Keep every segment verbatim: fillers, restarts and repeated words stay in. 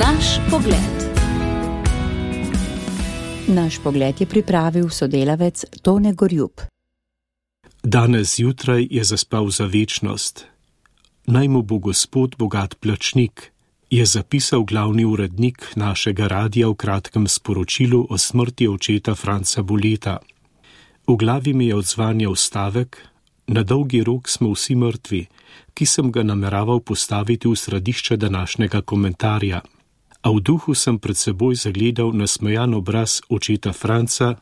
Naš pogled. Naš pogled je pripravil sodelavec Tone Gorjup. Danes zjutraj je zaspal za večnost. Naj mu bo Gospod bogat plačnik, je zapisal glavni urednik našega radia v kratkem sporočilu o smrti očeta Franca Boleta. V glavi mi je odzvanjal stavek: na dolgi rok smo vsi mrtvi, ki sem ga nameraval postaviti v središče današnjega komentarja. A v duhu sem pred seboj zagledal nasmejan obraz očeta Franca,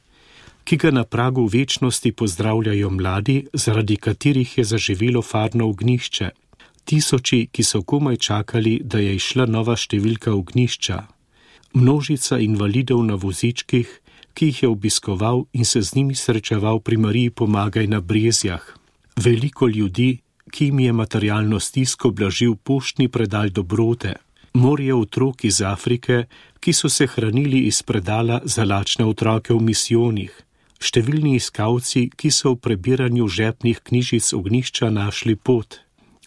ki ga na pragu večnosti pozdravljajo mladi, zaradi katerih je zaživelo farno ognjišče. Tisoči, ki so komaj čakali, da je išla nova številka ognjišča. Množica invalidov na vozičkih, ki jih je obiskoval in se z njimi srečeval pri Mariji Pomagaj na Brezjah. Veliko ljudi, ki jim je materialno stisko blažil poštni predal dobrote. Morje otrok iz Afrike, ki so se hranili iz predala za lačne otroke v misijonih. Številni iskalci, ki so v prebiranju žepnih knjižic ognjišča našli pot.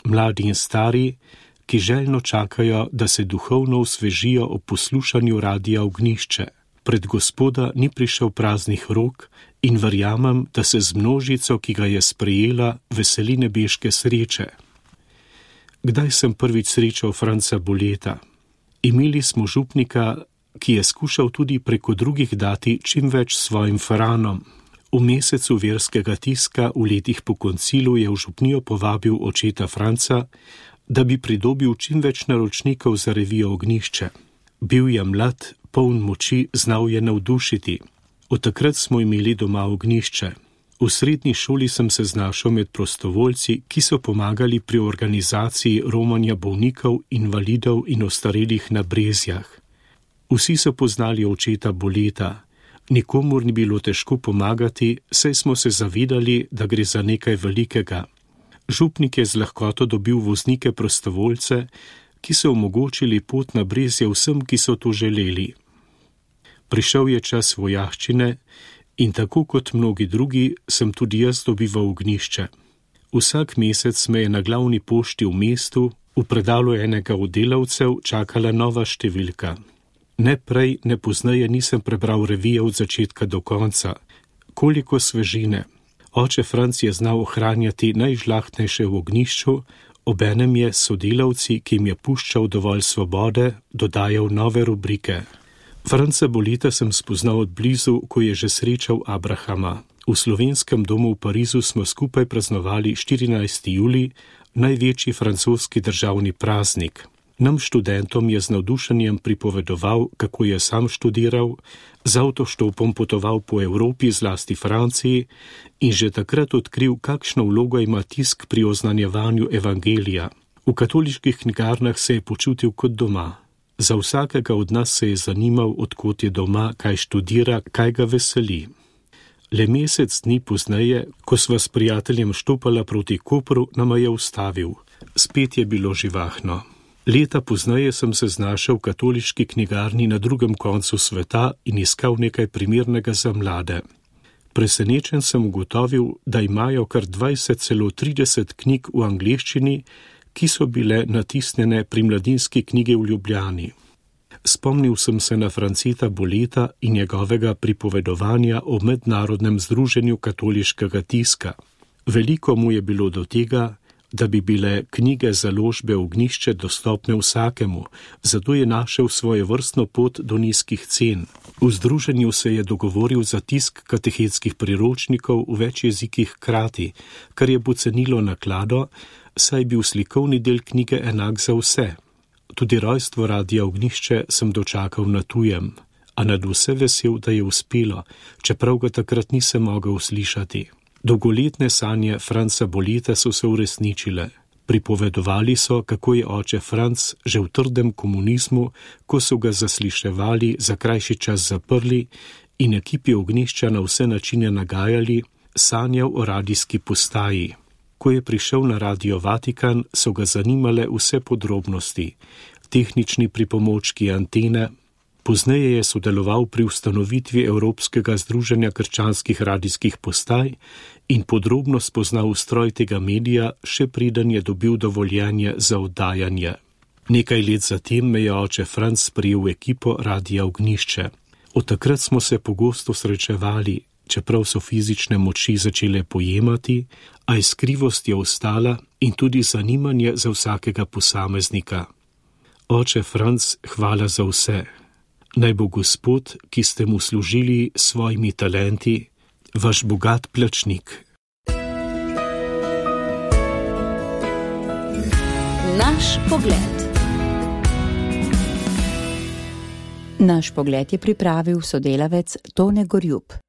Mladi in stari, ki željno čakajo, da se duhovno osvežijo ob poslušanju radia Ognjišče. Pred Gospoda ni prišel praznih rok in verjamem, da se z množico, ki ga je sprejela, veseli nebeške sreče. Kdaj sem prvič srečal Franca Boleta? Imeli smo župnika, ki je skušal tudi preko drugih dati čim več svojim faranom. V mesecu verskega tiska v letih po koncilu je v župnijo povabil očeta Franca, da bi pridobil čim več naročnikov za revijo Ognjišče. Bil je mlad, poln moči, znal je navdušiti. Od takrat smo imeli doma ognjišče. V srednji šoli sem se znašel med prostovoljci, ki so pomagali pri organizaciji romanja bolnikov, invalidov in ostarelih na Brezjah. Vsi so poznali očeta Boleta. Nikomur ni bilo težko pomagati, saj smo se zavedali, da gre za nekaj velikega. Župnik je z lahkoto dobil voznike prostovoljce, ki so omogočili pot na Brezje vsem, ki so to želeli. Prišel je čas vojaščine in tako kot mnogi drugi sem tudi jaz dobival ognjišče. Vsak mesec me je na glavni pošti v mestu, v predalu enega od delavcev, čakala nova številka. Ne prej, ne pozneje nisem prebral revije od začetka do konca. Koliko svežine. Oče Franc je znal ohranjati najžlahtnejše v ognjišču, obenem je sodelavci, ki jim je puščal dovolj svobode, dodajal nove rubrike. Franca Boleta sem spoznal od blizu, ko je že srečal Abrahama. V slovenskem domu v Parizu smo skupaj praznovali štirinajsti julij, največji francoski državni praznik. Nam študentom je z navdušenjem pripovedoval, kako je sam študiral, z avtoštopom potoval po Evropi, zlasti Franciji, in že takrat odkril, kakšno vlogo ima tisk pri oznanjevanju evangelija. V katoliških knjigarnah se je počutil kot doma. Za vsakega od nas se je zanimal, odkot je doma, kaj študira, kaj ga veseli. Le mesec dni pozneje, ko sva s prijateljem štopala proti Kopru, nama je ustavil. Spet je bilo živahno. Leta pozneje sem se znašel v katoliški knjigarni na drugem koncu sveta in iskal nekaj primernega za mlade. Presenečen sem ugotovil, da imajo kar dvajset, celo trideset knjig v angleščini, ki so bile natisnjene pri Mladinski knjigi v Ljubljani. Spomnil sem se na Franceta Boleta in njegovega pripovedovanja o mednarodnem združenju katoliškega tiska. Veliko mu je bilo do tega, da bi bile knjige založbe Ognjišče dostopne vsakemu, zato je našel svojo vrstno pot do nizkih cen. V združenju se je dogovoril za tisk katehetskih priročnikov v več jezikih hkrati, kar je pocenilo naklado, saj bil slikovni del knjige enak za vse. Tudi rojstvo radia Ognjišče sem dočakal na tujem, a nad vse vesel, da je uspelo, čeprav ga takrat nisem mogel slišati. Dolgoletne sanje Franca Boleta so se uresničile. Pripovedovali so, kako je oče Franc že v trdem komunizmu, ko so ga zasliševali, za krajši čas zaprli in ekipi Ognjišča na vse načine nagajali, sanjal o radijski postaji. Ko je prišel na Radio Vatikan, so ga zanimale vse podrobnosti, tehnični pripomočki, antene. Pozneje je sodeloval pri ustanovitvi Evropskega združenja krščanskih radijskih postaj in podrobno spoznal ustroj tega medija, še preden je dobil dovoljenje za oddajanje. Nekaj let zatem me je oče Franc sprejel v ekipo Radia Ognjišče. Od takrat smo se pogosto srečevali, čeprav so fizične moči začele pojemati, a iskrivost je ostala in tudi zanimanje za vsakega posameznika. Oče Franc, hvala za vse. Naj bo Gospod, ki ste mu služili s svojimi talenti, vaš bogat plačnik. Naš pogled. Naš pogled je pripravil sodelavec Tone Gorjup.